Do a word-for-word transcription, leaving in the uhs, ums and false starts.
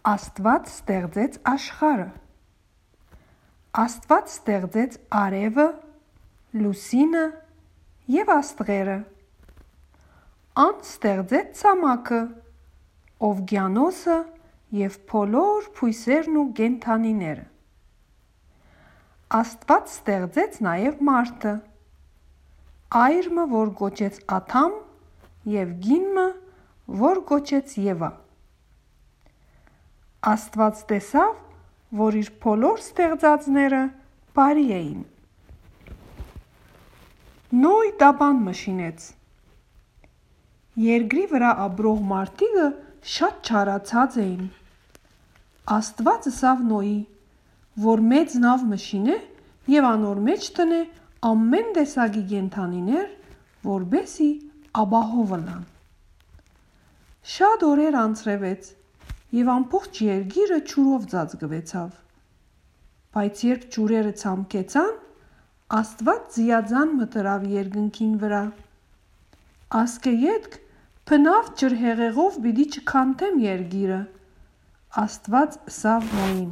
Աստված ստեղծեց աշխարհը։ Աստված ստեղծեց արևը, լուսինը և աստղերը։ Ան ստեղծեց ցամաքը, օվկիանոսը և բոլոր բույսերն ու կենդանիները։ Աստված ստեղծեց նաև մարդը, այրմը, որ կոչեց Ադամ, և կինը, որ կոչեց Եվա։ Աստված տեսավ, որ իր բոլոր ստեղծածները բարի էին։ Նոյ տապան մշինեց։ Երկրի վրա ապրող մարդիկը շատ չարացած էին։ Աստված ըսավ Նոյի, որ մեծ նավ մշինե և անոր մեջ տնե ամեն տեսակի կենդանիներ, որպեսզի ապահով ըլլան։ Շատ օրեր անցրվեց, և ամբողջ երկիրը ջուրով ծածկվեցավ։ Բայց երբ ջուրերը ցամքեցան, Աստված ձիաձան մտրավ երկնքին վրա։ Ասկե ետք բնավ ջրհեղեղով պիտի չքանդեմ երկիրը։ Աստված ըսավ Նոյին.